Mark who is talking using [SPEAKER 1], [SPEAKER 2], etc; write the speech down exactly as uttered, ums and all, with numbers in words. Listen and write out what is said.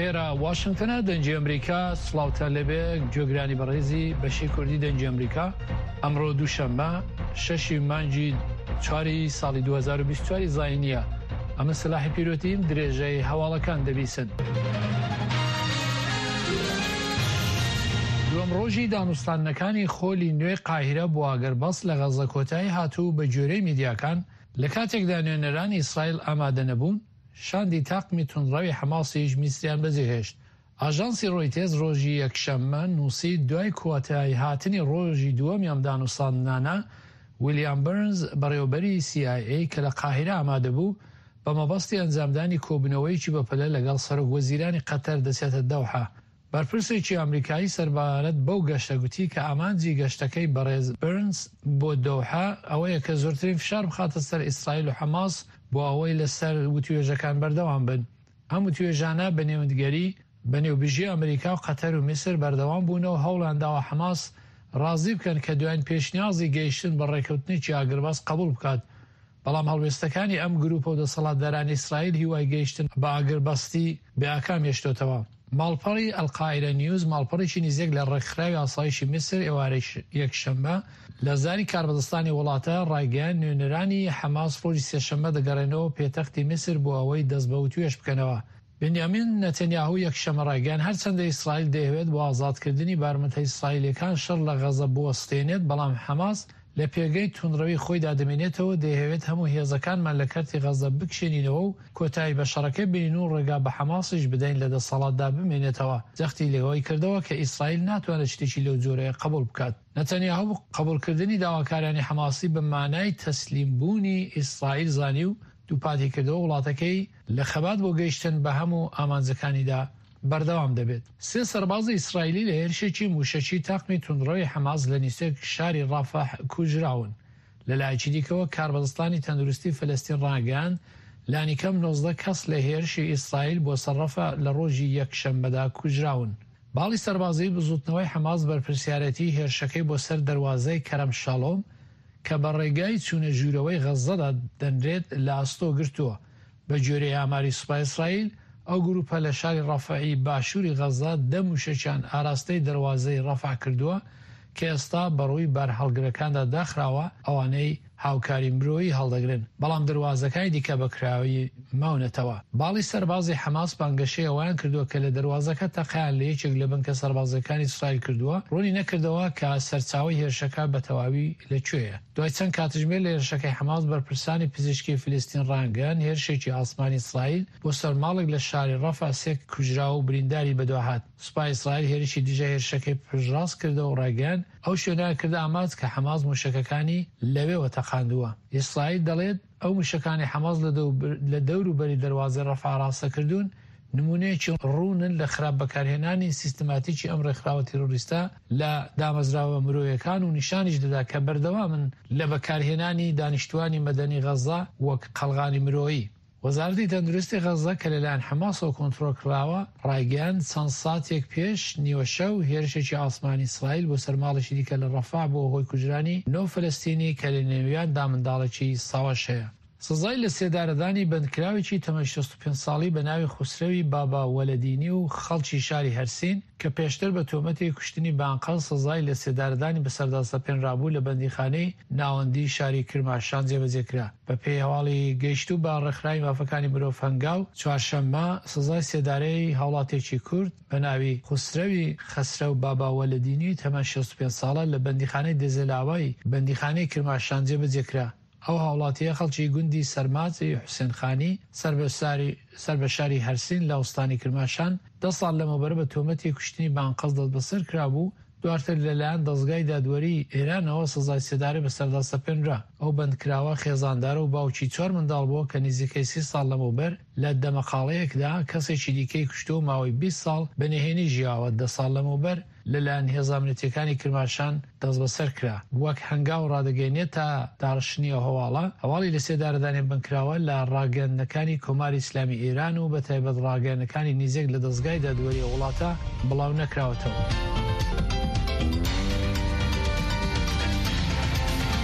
[SPEAKER 1] ئێرە واشنگتنە، دەنگی ئەمریکا. سڵاوتان لێبێ گوێگرانی بەڕێزی بەشی کوردی دەنگی ئەمریکا. ئەمڕۆ دووشەممە شەشی مانگی چواری ساڵی دوو هەزار و بیست و چوار زاینیە. ئەمە سەلاحی پیرۆتیم، درێژەی هەواڵەکان دەبیسن. دووەم ڕۆژی دانوستاندنەکانی خۆلی نوێی قاهیرە بۆ ئاگربەست لە غەزە کۆتایی هاتوو بە گوێرەی میدیاکان، لە کاتێکدا نوێنەرانی ئیسرائیل ئامادە نەبوون، شاندی تاقمی توندڕەوی حەماسیش میسریان بەجێهێشت. ئاژانسی ڕۆیتێز ڕۆژی یەکشەممە نووسی دوای کۆتایی هاتنی ڕۆژی دووەمی ئەم دانوستاندنانە، ویلیام برنز بەڕێوەبەری سی ئای ئەی کە لە قاهیرە ئامادە بوو، بە مەبەستی ئەنجامدانی کۆبوونەوەیەکی بەپەلە لەگەڵ سەرۆک وەزیرانی قەتەر دەچێتە دەوحە. بەرپرسێکی ئەمریکایی سەربارەت بەو گەشتە گوتی کە ئامانجی گەشتەکەی بەڕێز برنز بۆ دەوحە ئەوەیە کە زۆرترین فشار بخاتە سەر ئیسرائیل و حەماس بۆ ئەوەی لەسەر وتوێژەکان بەردەوام بن. ئەم وتوێژانە بە نێوەندگەری بە نێوبژی ئەمریکا و قەتەر و میسر بەردەوام بوونەوە هەوڵیان داوە حەماس ڕازی بکەن کە دوایین پێشنیازی گەیشتن بە ڕێککەوتنێکی ئاگربەست قبوڵ بکات. بەڵام هەڵوێستەکانی ئەم گروپە و دەسەڵاتدارانی ئیسرائیل هیوای گەیشتن بە ئاگربەستی بێ ئاکام هێشتۆتەوە. ماڵپەڕی ئەلقاهیرە نیوز ماڵپەڕێکی نزیک لە ڕێکخراوی ئاسایشی میسر ئێوارەی یەکشەممە لە زاری کاربەدەستانی وڵاتە ڕایگەیاند نوێنەرانی حەماس ڕۆژی سێشەممە دەگەڕێنەوە پێتەختی میسر بۆ ئەوەی دەست بە وتوێژ بکەنەوە. بنیامین نەتەنیاهو یەکشەممە ڕایگەیاند هەرچەندە ئیسرائیل دەیەوێت بۆ ئازادکردنی بارمتە ئیسرائیلەکان شەڕ لە غەزە بوەستێنێت، بەڵام حەماس لە پێگەی توندڕەوی خۆیدا دەمێنێتەوە، دەیەوێت هەموو هێزەکانمان لە کەرتی غەزە بکشێنینەوە و کۆتایی بە شەڕەکە بینین و ڕێگا بە حەماسیش بدەین لە دەسەڵاتدا بمێنێتەوە. جەختی لەوەی کردەوە کە ئیسرائیل ناتوانێت شتێکی لەو جۆرەیە قبوڵ بکات. نەتەنیاهو قبوڵکردنی داواکاریانی حەماسی بە مانای تەسلیمبوونی ئیسرائیل زانی و دووپاتی کردەوە وڵاتەکەی لە خەبات بۆ گەیشتن بە هەموو ئامانجەکانیدا بەردەوام دەبێت. سێ سەربازی ئیسرائیلی لە هێرشێکی موشەکی تاقمی توندڕەوی حەماس لە نزیک شاری ڕەفەح کوژراون. لەلایەکی دیکەوە کاربەدەستانی تەندروستی فلستین ڕاگەیاند لانیکەم نۆزدە کەس لە هێرشی ئیسرائیل بۆ سەر ڕەفە لە ڕۆژی یەکشەممەدا کوژراون. باڵی سەربازی بزوتنەوەی حەماس بەرپرسیارەتی هێرشەکەی بۆ سەر دەروازەی کەرەم شالۆم کە بە ڕێگای چوونە ژوورەوەی غەزەدا دەنرێت لە ئەستۆ گرتووە. بە گوێرەی ئاماری سوپای ئیسرائیل ئەو گروپە لە شاری ڕەفەعی باشووری غەزە دە موشەکیان ئاراستەی دەروازەی ڕەفع کردووە کە ئێستا بەڕووی بارهەڵگرەکاندا داخراوە، ئەوانەی هاوکاری مرۆیی هەڵدەگرن، بەڵام دەروازەکانی دیکە بەکراوی ماونەتەوە. باڵی سەربازی حەماس بانگەشەی ئەویان کردووە کە لە دەروازەکە تەقیان لە یەکێک لە بنکە سەربازیەکانی ئیسرائیل کردووە، ڕوونی نەکردەوە کە سەرچاوەی هێرشەکە بە تەواوی لەکوێیە. دوای چەند کاتژمێر لە هێرشەکەی حەماس بەرپرسانی پزیشکی فلستین ڕانگەیان هێرشێکی ئاسمانی ئیسرائیل بۆ سەر ماڵێک لە شاری ڕەفع سێ کوژرا و برینداری بەدواهات. سوپای ئیسرائیل هێرشی دژە هێرشەکەی پشتڕاست کردەوە و ڕایگەیاند ئەو شوێنە کردە ئامانج کە حەماس موشەکەکانی لەوێوە تەقاندووە. ئیسرائیل دەڵێت ئەو موشەکانی حەماس لە دەوروبەری دەروازەی ڕەفع ڕاستە کردوون، نمونەیەکی ڕوونن لە خراپ بەکارهێنانی سیستماتیکی ئەم ڕێکخراوە تیرۆریستە لە دامەزراوە مرۆیەکان و نیشانیش دەدا کە بەردەوامن لە بەکارهێنانی دانیشتوانی مەدەنی غەزە وەک قەڵغانی مرۆیی. وەزارەتی تەندروستی غەزە کە لەلایەن حەماسەوە کۆنترۆڵ کراوە ڕایگەیاند چەند ساتێک پێش نیوەشەو هێرشێکی ئاسمانی ئیسرائیل بۆ سەر ماڵێکی دیکە لە ڕەفع بۆ هۆی کوژرانی نۆ فلستینی کە لە نێویاندا منداڵێکی ساواش هەیە. سزای لە سێدارەدانی بەندکراوێکی تەمەن شەست و پێنج ساڵی بە ناوی خوسرەوی بابا وەلەدینی و خەڵکی شاری هەرسین کە پێشتر بە تۆمەتی کوشتنی بانقەل سزای لە سێدارەدانی بەسەردا سەپێنرابوو لە بەندیخانەی ناوەندی شاری کرماشان جێبەجێ کرا. بە پێی هەواڵی گەیشتوو بە ڕێکخراوی مافەکانی مرۆڤ هەنگاو، چوارشەممە سزای سێدارەی هاوڵاتێکی کورد بە ناوی خوسرەوی خەسرەو بابا وەلەدینی تەمەن شەست و پێنج ساڵە لە بەندیخانەی دێزەلاوای بەندیخانەی کرماشان جێبەجێ کرا. ئەو هاوڵاتیە خەڵکی گوندی سەرماجی حوسێن خانی سەر بە شاری هەرسین لە ئوستانی کرماشان دە ساڵ لەمەوبەر بە تۆمەتی کوشتنی بانقەز دەستبەسەر کرابوو، دواتر لەلایەن دەزگای دادوەری ئێرانەوە سزای سێدارەی بەسەردا سەپێنرا. ئەو بەندکراوە خێزاندارە و باوکی چوار منداڵ بووە کە نزیکەی سی ساڵ لەمەوبەر لە دەمەقاڵەیەکدا کەسێکی دیکەی کوشتووە و ماوەی بیست ساڵ بە نهێنی ژیاوە. دە ساڵ لەمەوبەر لەلایەن هێزە ئەمنیەتیەکانی کرماشان دەستبەسەر کرا. وەک هەنگاو ڕادەگەیەنێت تا داڕشتنی ئەو هەواڵە، هەواڵی لە سێدارەدانی بەندکراوە لە ڕاگەیاندنەکانی کۆماری ئیسلامی ئێران و بە تایبەت ڕاگەیاندنەکانی نزیک لە دەزگای دادوەری وڵاتە بڵاو نەکراوەتەوە.